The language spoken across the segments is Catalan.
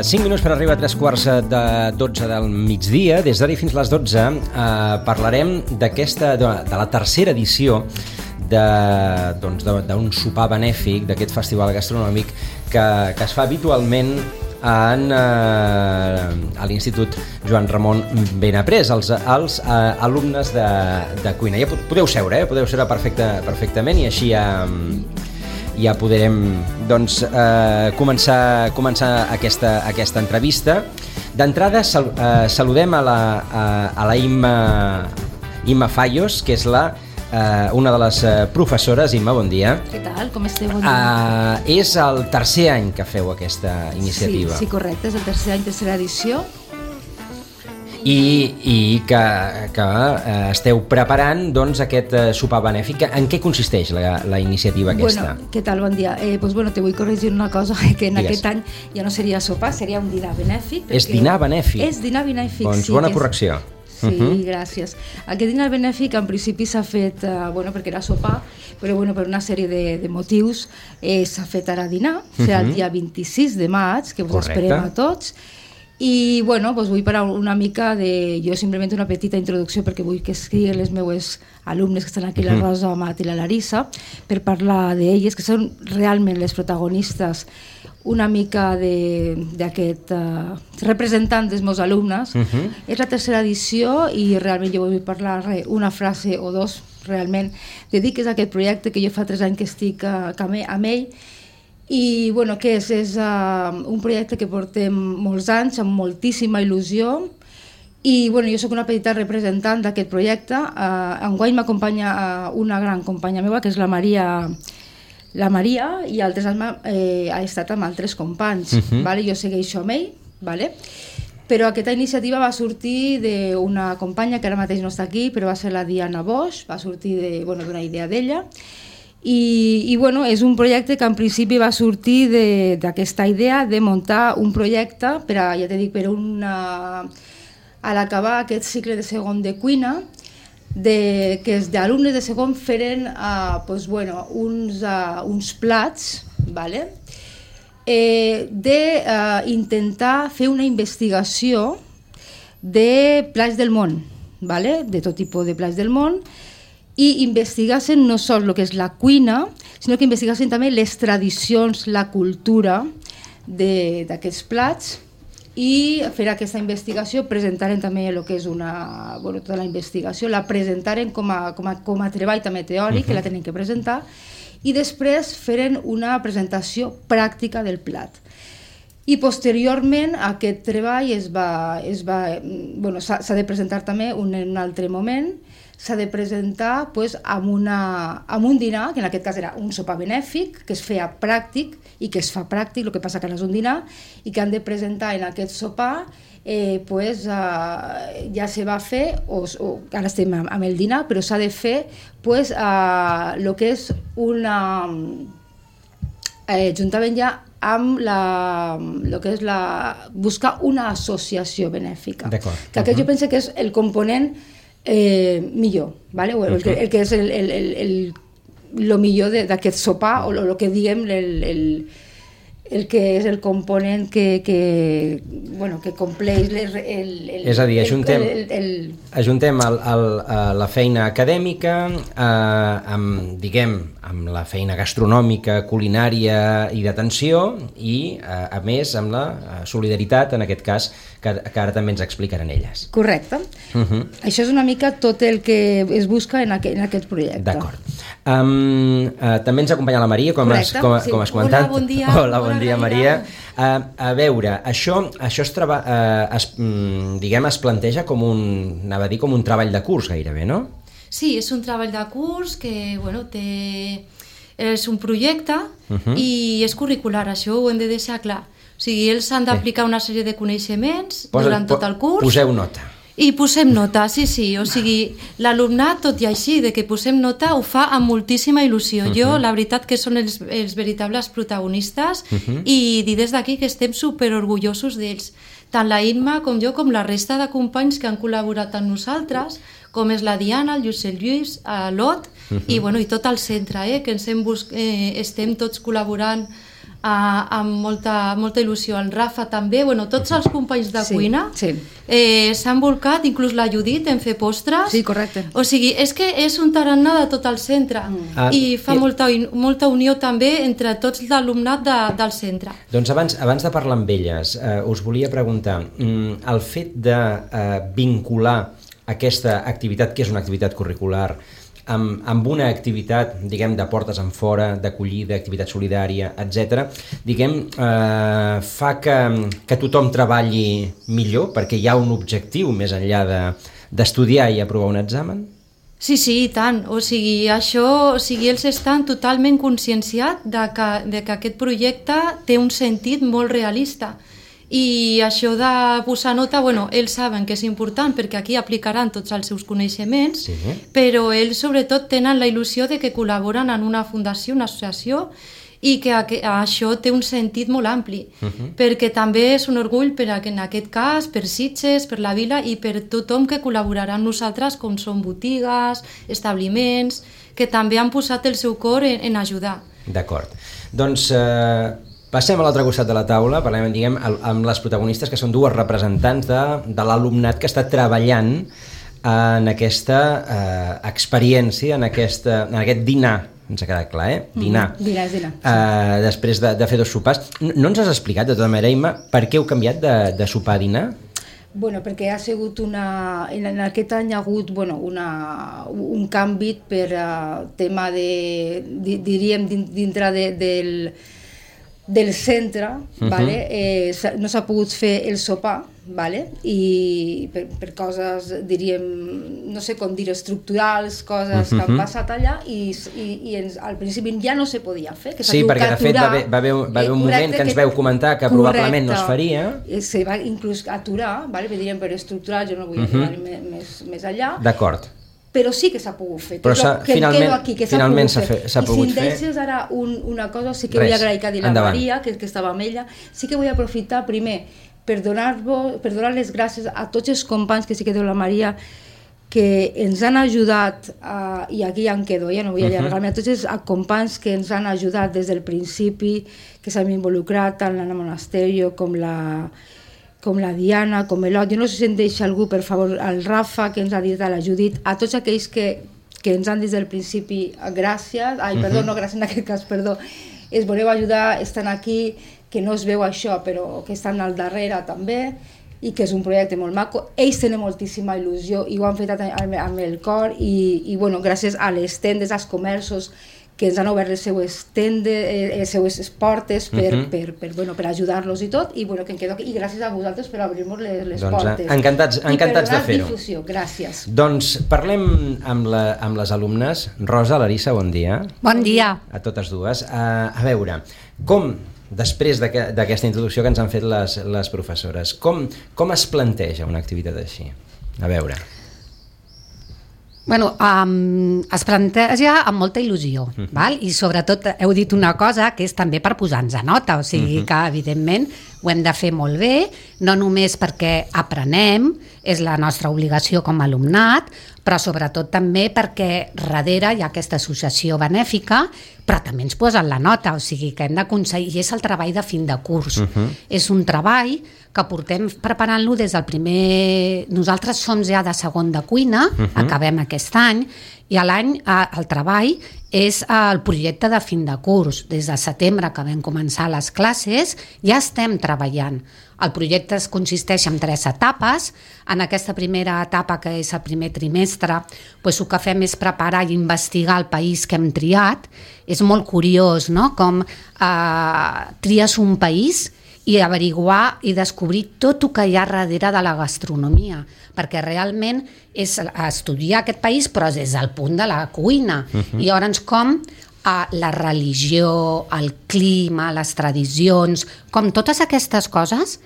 5 minuts per arribar a 3:15 del migdia. Des d'ara fins les 12 parlarem de la tercera edició d'un sopar benèfic, d'aquest festival gastronòmic que es fa habitualment a l'Institut Joan Ramon Benaprés, els alumnes de cuina. Ja podeu seure, podeu seure perfectament, i així ja podrem començar aquesta entrevista. D'entrada saludem a la Imma Fallos, que és una de les professores. Imma, bon dia. Què tal? Com esteu? Bon dia. És el tercer any que feu aquesta iniciativa. Sí, correcte, és el tercer any, tercera edició. I que esteu preparant aquest sopar benèfic. En què consisteix la iniciativa aquesta? Bueno, què tal? Bon dia. Te vull corregir una cosa, que en aquest any ja no seria sopar, seria un dinar benèfic. És dinar benèfic? És dinar benèfic, doncs sí. Bona correcció. Sí, gràcies. Aquest dinar benèfic en principi s'ha fet, perquè era sopar, però per una sèrie de motius s'ha fet ara dinar, serà el dia 26 de maig, que us esperem a tots. I vull parar una mica jo simplement una petita introducció, perquè vull que escriguin les meues alumnes que estan aquí, la Rosa, la Mat i la Larissa, per parlar d'elles, que són realment les protagonistes una mica d'aquest representant dels meus alumnes. És la tercera edició i realment jo vull parlar una frase o dos realment dediques a aquest projecte que jo fa 3 anys que estic amb ell. I què és? És un projecte que portem molts anys, amb moltíssima il·lusió, i jo soc una petita representant d'aquest projecte. Enguany m'acompanya una gran companya meva, que és la Maria, i altres anys ha estat amb altres companys. Jo segueixo amb ell, però aquesta iniciativa va sortir d'una companya que ara mateix no està aquí, però va ser la Diana Bosch, va sortir d'una idea d'ella. I és un projecte que en principi va sortir d'aquesta idea de muntar un projecte a l'acabar aquest cicle de segon de cuina, que els alumnes de segon feren uns plats d'intentar fer una investigació de plats del món, de tot tipus de plats del món, i investigassen no sols el que és la cuina, sinó que investigassen també les tradicions, la cultura d'aquests plats, i fer aquesta investigació, presentaren també el que és tota la investigació, la presentaren com a treball també teòric, que la tenen que presentar, i després feren una presentació pràctica del plat. I posteriorment aquest treball s'ha de presentar també en un altre moment, s'ha de presentar amb un dinar, que en aquest cas era un sopar benèfic, que es feia pràctic i que es fa pràctic, el que passa que ara és un dinar, i que han de presentar en aquest sopar, ja se va fer, ara estem amb el dinar, però s'ha de fer el que és juntament ja amb el que és buscar una associació benèfica. Que aquest jo penso que és el component millor, el que és el millor d'aquest sopar, o el que diguem el que és el component que compleix és a dir, ajuntem la feina acadèmica amb la feina gastronòmica, culinària i d'atenció, i a més amb la solidaritat, en aquest cas, que ara també ens explicaran elles. Correcte. Això és una mica tot el que es busca en aquest projecte. D'acord. També ens acompanya la Maria, com has comentat. Hola, bon dia. Hola, bon dia, Maria. A veure, això es planteja com un treball de curs gairebé, no? Sí, és un treball de curs que és un projecte i és curricular, això ho hem de deixar clar. O sigui, ells han d'aplicar una sèrie de coneixements durant tot el curs. Poseu nota. I posem nota, sí. O sigui, l'alumnat, tot i així, de que posem nota, ho fa amb moltíssima il·lusió. Jo, la veritat, que són els veritables protagonistes, i dir des d'aquí que estem superorgullosos d'ells. Tant la Imma com jo, com la resta de companys que han col·laborat amb nosaltres, com és la Diana, el Josep Lluís, l'Ot, i tot el centre, que estem tots col·laborant amb molta il·lusió. El Rafa també, tots els companys de cuina s'han volcat, inclús la Judit en fer postres. Sí, correcte. O sigui, és que és un tarannà de tot el centre i fa molta unió també entre tots l'alumnat del centre. Doncs abans de parlar amb elles, us volia preguntar, el fet de vincular aquesta activitat, que és una activitat curricular, amb una activitat, diguem, de portes enfora, d'acollida, activitat solidària, etc., diguem, fa que tothom treballi millor perquè hi ha un objectiu més enllà d'estudiar i aprovar un examen? Sí, i tant. O sigui, ells estan totalment conscienciats de que aquest projecte té un sentit molt realista. I això de posar nota, ells saben que és important perquè aquí aplicaran tots els seus coneixements, però ells sobretot tenen la il·lusió de que col·laboren en una fundació, una associació, i que això té un sentit molt ampli, perquè també és un orgull en aquest cas, per Sitges, per la vila i per tothom que col·laborarà amb nosaltres, com són botigues, establiments, que també han posat el seu cor en ajudar. D'acord. Doncs passem a l'altre costat de la taula, parlem, diguem, amb les protagonistes, que són dues representants de l'alumnat que està treballant en aquesta experiència, en aquest dinar, ens ha quedat clar, dinar. Dinar. Després de fer 2 sopars. No ens has explicat, de tota manera, Imma, per què heu canviat de sopar a dinar? Perquè ha sigut en aquest any ha hagut un canvi per tema diríem, dintre del centre, no s'ha pogut fer el sopar, i per coses, diríem, no sé com dir, estructurals, coses que han passat allà, i al principi ja no se podia fer. Sí, perquè de fet va haver un moment que ens veu comentar que probablement no es faria. Se va inclús aturar, diríem, per estructural, jo no vull anar més allà. D'acord. Però sí que s'ha pogut fer, però finalment s'ha pogut fer. I si em deixes ara una cosa, sí que vull agrair que ha dit la Maria, que estava amb ella, sí que vull aprofitar primer per donar les gràcies a tots els companys, que sí que diu la Maria, que ens han ajudat, i aquí ja em quedo, ja no vull allargar-me, a tots els companys que ens han ajudat des del principi, que s'han involucrat tant l'Anna Monasterio com la Diana, com l'Ot. Jo no sé si em deixa algú, per favor, el Rafa, que ens ha dit, a la Judit, a tots aquells que ens han dit des del principi gràcies, no gràcies en aquest cas, perdó, es voleu ajudar, estan aquí, que no es veu això, però que estan al darrere també, i que és un projecte molt maco. Ells tenen moltíssima il·lusió i ho han fet amb el cor, i gràcies a les tendes, als comerços, que ens han obert les seues portes per ajudar-los i tot, i que em quedo aquí, i gràcies a vosaltres per obrir-nos les portes. Encantats de fer-ho. Difusió. Gràcies. Doncs parlem amb les alumnes. Rosa, Larissa, bon dia. Bon dia. A totes dues. A veure, com, després d'aquesta introducció que ens han fet les professores, com es planteja una activitat així? A veure... es planteja amb molta il·lusió, i sobretot heu dit una cosa que és també per posar-nos a nota, o sigui que evidentment ho hem de fer molt bé, no només perquè aprenem, és la nostra obligació com a alumnat, però sobretot també perquè darrere hi ha aquesta associació benèfica, però també ens posen la nota, o sigui que hem d'aconseguir, i és el treball de fin de curs. És un treball que portem preparant-lo des del primer... Nosaltres som ja de segon de cuina, acabem aquest any, i el treball és el projecte de fin de curs. Des de setembre que vam començar les classes ja estem treballant. El projecte consisteix en 3 etapes. En aquesta primera etapa, que és el primer trimestre, el que fem és preparar i investigar el país que hem triat. És molt curiós, no?, com tries un país i averiguar i descobrir tot el que hi ha darrere de la gastronomia, perquè realment és estudiar aquest país, però des del punt de la cuina. I llavors com la religió, el clima, les tradicions, com totes aquestes coses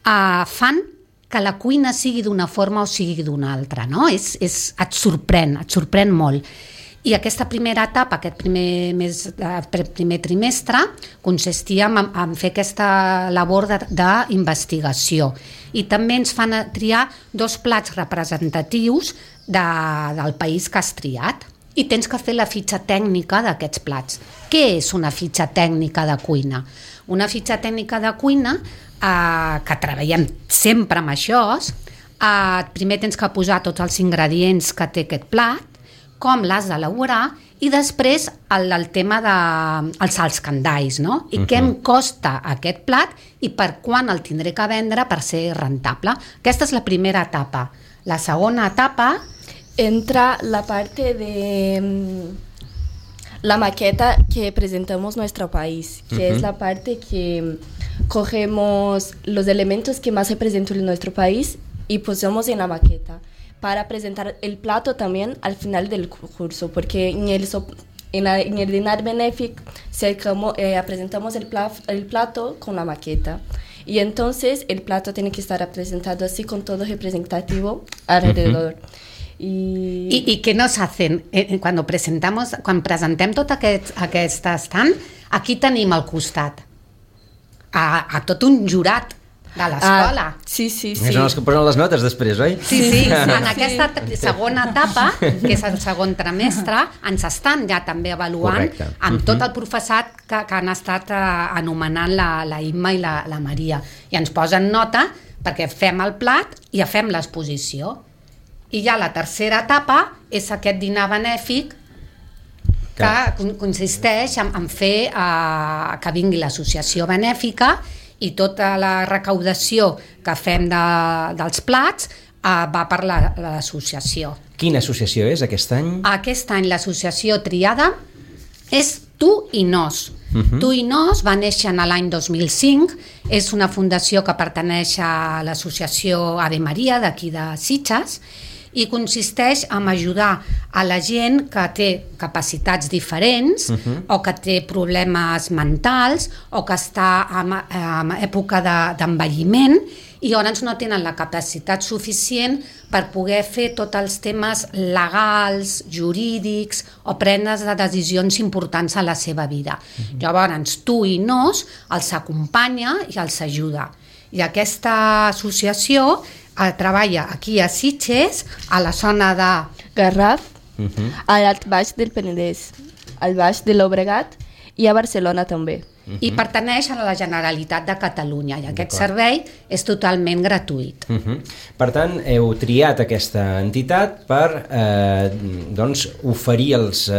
fan que la cuina sigui d'una forma o sigui d'una altra, no? Et sorprèn molt. I aquesta primera etapa, aquest primer trimestre, consistia en fer aquesta labor d'investigació. I també ens fan triar 2 plats representatius del país que has triat. I tens que fer la fitxa tècnica d'aquests plats. Què és una fitxa tècnica de cuina? una fitxa tècnica de cuina que treballem sempre amb això. Primer tens que posar tots els ingredients que té aquest plat, com l'has d'elaborar, i després el tema dels escandalls, no? I què em costa aquest plat i per quan el tindré que vendre per ser rentable. Aquesta és la primera etapa. La segona etapa entra la parte de la maqueta que presentamos nuestro país, que es la parte que cogemos los elementos que más representan nuestro país y posamos en la maqueta para presentar el plato también al final del curso, porque en el Dinar Benéfic presentamos el plato con la maqueta. Y entonces el plato tiene que estar representado así con todo representativo alrededor. I què nos hacen? Quan presentem tot aquest estant, aquí tenim al costat a tot un jurat de l'escola. Sí. Són els que posen les notes després, oi? Sí. En aquesta segona etapa, que és el segon trimestre, ens estan ja també avaluant amb tot el professorat que han estat anomenant la Imma i la Maria. I ens posen nota perquè fem el plat i fem l'exposició. I ja la tercera etapa és aquest dinar benèfic que consisteix en fer que vingui l'associació benèfica i tota la recaudació que fem dels plats va per l'associació. Quina associació és aquest any? Aquest any l'associació triada és Tu i Nos. Tu i Nos va néixer l'any 2005, és una fundació que pertaneix a l'associació Ave Maria d'aquí de Sitges, i consisteix en ajudar a la gent que té capacitats diferents o que té problemes mentals o que està en època d'envelliment i llavors no tenen la capacitat suficient per poder fer tots els temes legals, jurídics o prendre decisions importants a la seva vida. Llavors, Tu i Nos els acompanya i els ajuda. I aquesta associació treballa aquí a Sitges, a la zona de Garraf, al Baix del Penedès, al Baix de Llobregat i a Barcelona també. I pertaneix a la Generalitat de Catalunya i aquest servei és totalment gratuït. Per tant, heu triat aquesta entitat per oferir els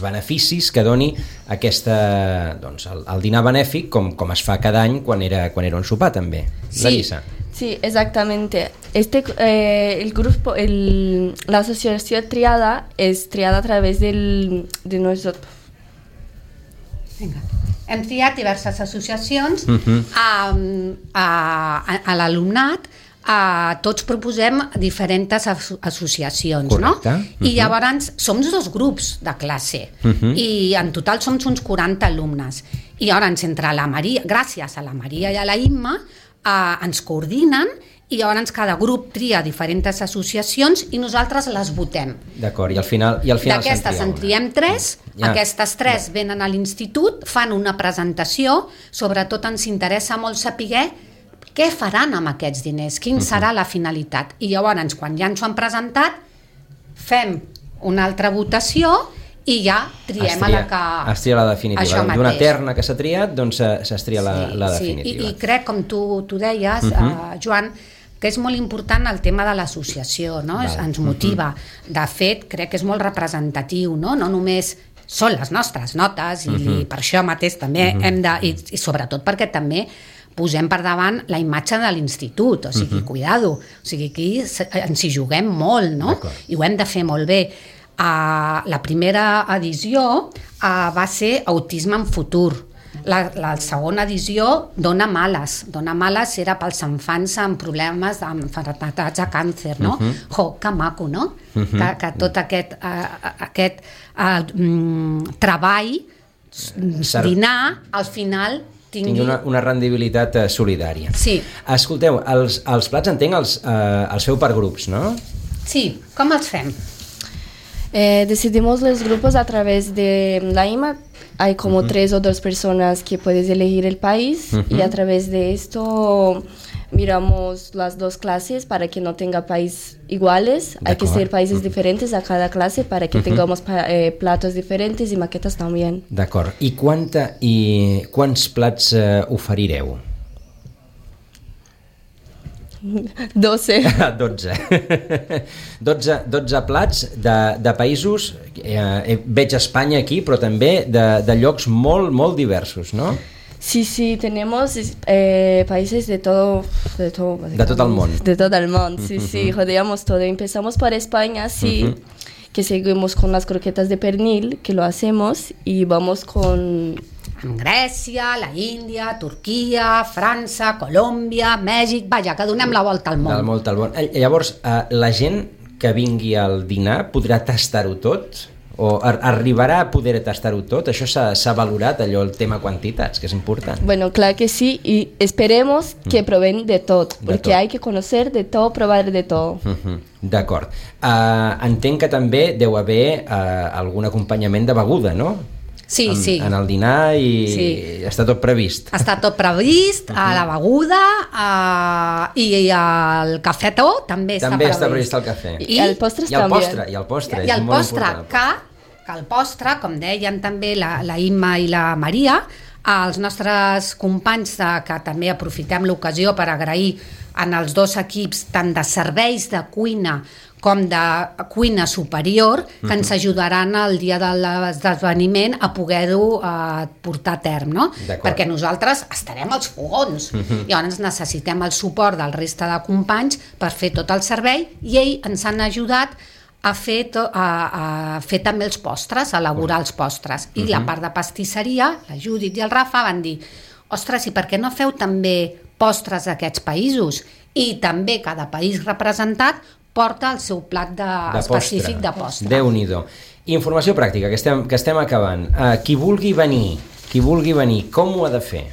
beneficis que doni el dinar benèfic com es fa cada any quan era un sopar també. Larissa. Sí, exactamente. La asociación triada es triada a través de nuestro... Vinga. Hem triat diverses associacions a l'alumnat, tots proposem diferents associacions, no? I llavors som 2 grups de classe i en total som uns 40 alumnes i llavors entre la Maria, gràcies a la Maria i a la Imma, ens coordinen i llavors cada grup tria diferents associacions i nosaltres les votem. D'acord, i al final d'aquestes en triem 3, aquestes 3 venen a l'institut, fan una presentació, sobretot ens interessa molt saber què faran amb aquests diners, quin serà la finalitat. I llavors, quan ja ens ho han presentat, fem una altra votació i ja triem a la que... Es tria la definitiva. D'una terna que s'ha triat, doncs es tria la definitiva. I crec, com tu deies, Joan, que és molt important el tema de l'associació, no? Ens motiva. De fet, crec que és molt representatiu, no? No només són les nostres notes i per això mateix també hem de... I sobretot perquè també posem per davant la imatge de l'institut, o sigui, cuidado, o sigui, aquí ens hi juguem molt, no? I ho hem de fer molt bé. La primera edició va ser Autisme en futur. La segona edició Dona Males. Dona Males era pels infants amb problemes d'enfermetats de càncer, no? Que maco, no? Que tot aquest treball, dinar, al final tingui una rendibilitat solidària. Sí. Escolteu, els plats entenc els feu per grups, no? Sí, com els fem? Decidimos los grupos a través de la IMA. Hay como 3 o 2 personas que puedes elegir el país y a través de esto miramos las dos clases para que no tenga países iguales. Hay que ser países diferentes a cada clase para que tengamos platos diferentes i maquetes també. D'acord. I quants plats oferireu? 12. 12 plats de països, veig Espanya aquí, però també de llocs molt, molt diversos, no? Sí, tenemos países de todo el mundo. De todo el mundo, sí, rodeamos todo. Empezamos por España, sí, que seguimos con las croquetas de pernil, que lo hacemos, y vamos con... Grècia, la Índia, Turquia, França, Colòmbia, Mèxic... Vaja, que donem la volta al món. La volta al món. Llavors, la gent que vingui al dinar podrà tastar-ho tot? O arribarà a poder tastar-ho tot? Això s'ha valorat, allò, el tema quantitats, que és important. Bueno, claro que sí, y esperemos que prueben de tot, porque hay que conocer de todo, probar de todo. D'acord. Entenc que també deu haver algun acompanyament de beguda, no? Sí. En el dinar i està tot previst. Està tot previst, la beguda i el cafetó també està previst. També està previst el cafè. I el postre també. I el postre, és molt important. Que el postre, com deien també la Imma i la Maria, als nostres companys que també aprofitem l'ocasió per agrair en els dos equips tant de serveis de cuina com de cuina superior, que ens ajudaran el dia de l'esdeveniment a poder-ho portar a terme, no? Perquè nosaltres estarem als fogons, llavors necessitem el suport del reste de companys per fer tot el servei, i ells ens han ajudat a fer també els postres, a elaborar els postres. I la part de pastisseria, la Judit i el Rafa van dir: ostres, i per què no feu també postres d'aquests països? I també cada país representat porta el seu plat específic de postre. Déu-n'hi-do. Informació pràctica, que estem acabant. Qui vulgui venir, com ho ha de fer?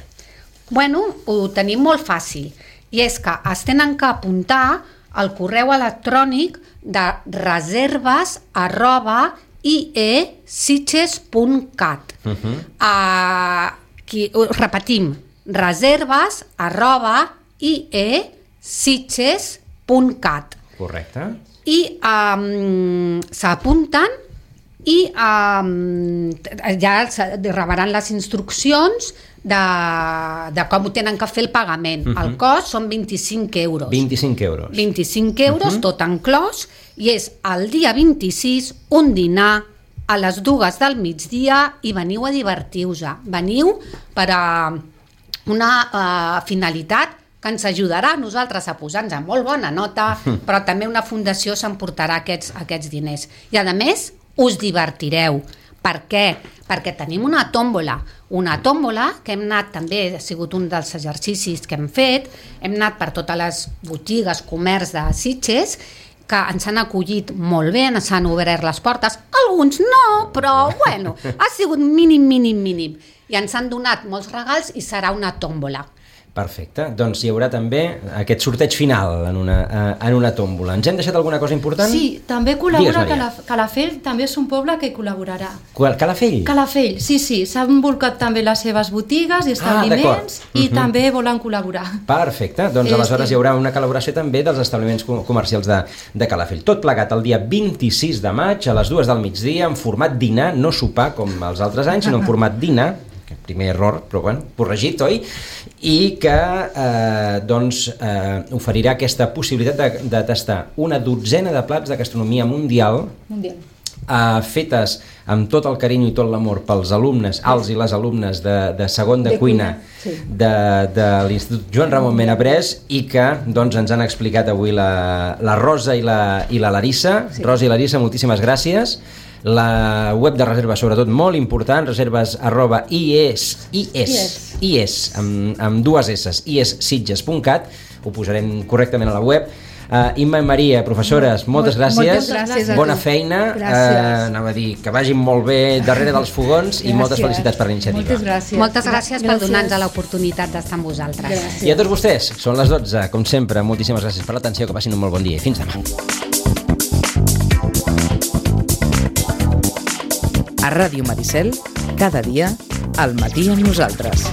Bueno, ho tenim molt fàcil, i és que es tenen que apuntar al correu electrònic de reserves@iesitges.cat. Repetim, reserves@iesitges.cat. Correcte. I s'apunten i ja rebran les instruccions de com ho tenen que fer el pagament. El cost són 25 euros. 25 euros. 25 euros, tot enclòs, i és el dia 26, un dinar a les 2 del migdia, i veniu a divertir-vos. Veniu per a una finalitat que ens ajudarà a nosaltres a posar-nos a molt bona nota, però també una fundació s'emportarà aquests diners. I a més, us divertireu. Per què? Perquè tenim una tòmbola que hem anat, també ha sigut un dels exercicis que hem fet, hem anat per totes les botigues, comerç de Sitges, que ens han acollit molt bé, ens han obert les portes, alguns no, però bueno, ha sigut mínim, i ens han donat molts regals i serà una tòmbola. Perfecte, doncs hi haurà també aquest sorteig final en una tòmbola. Ens hem deixat alguna cosa important? Sí, també col·labora Calafell, també és un poble que col·laborarà. Calafell? Calafell, sí, s'han volcat també les seves botigues i establiments i també volen col·laborar. Perfecte, doncs aleshores hi haurà una col·laboració també dels establiments comercials de Calafell. Tot plegat el dia 26 de maig a les 2 del migdia en format dinar, no sopar com els altres anys, sinó en format dinar, primer error, però bueno, corregit, oi? I que oferirà aquesta possibilitat de tastar una dotzena de plats de gastronomia mundial fetes amb tot el carinyo i tot l'amor pels alumnes, els i les alumnes de segon de cuina de l'Institut Joan Ramon Benaprés, i que ens han explicat avui la Rosa i la Larissa. Rosa i Larissa, moltíssimes gràcies. La web de reserves, sobretot, molt important, reserves@ies amb dues S, iessitges.cat, ho posarem correctament a la web. Imma i Maria, professores, moltes gràcies. Bona feina, anava a dir que vagin molt bé darrere dels fogons i moltes felicitats per la iniciativa. Moltes gràcies per donar-nos l'oportunitat d'estar amb vosaltres. I a tots vostès, són les 12, com sempre, moltíssimes gràcies per l'atenció, que passin un molt bon dia i fins demà. A Ràdio Maricel, cada dia, al matí amb nosaltres.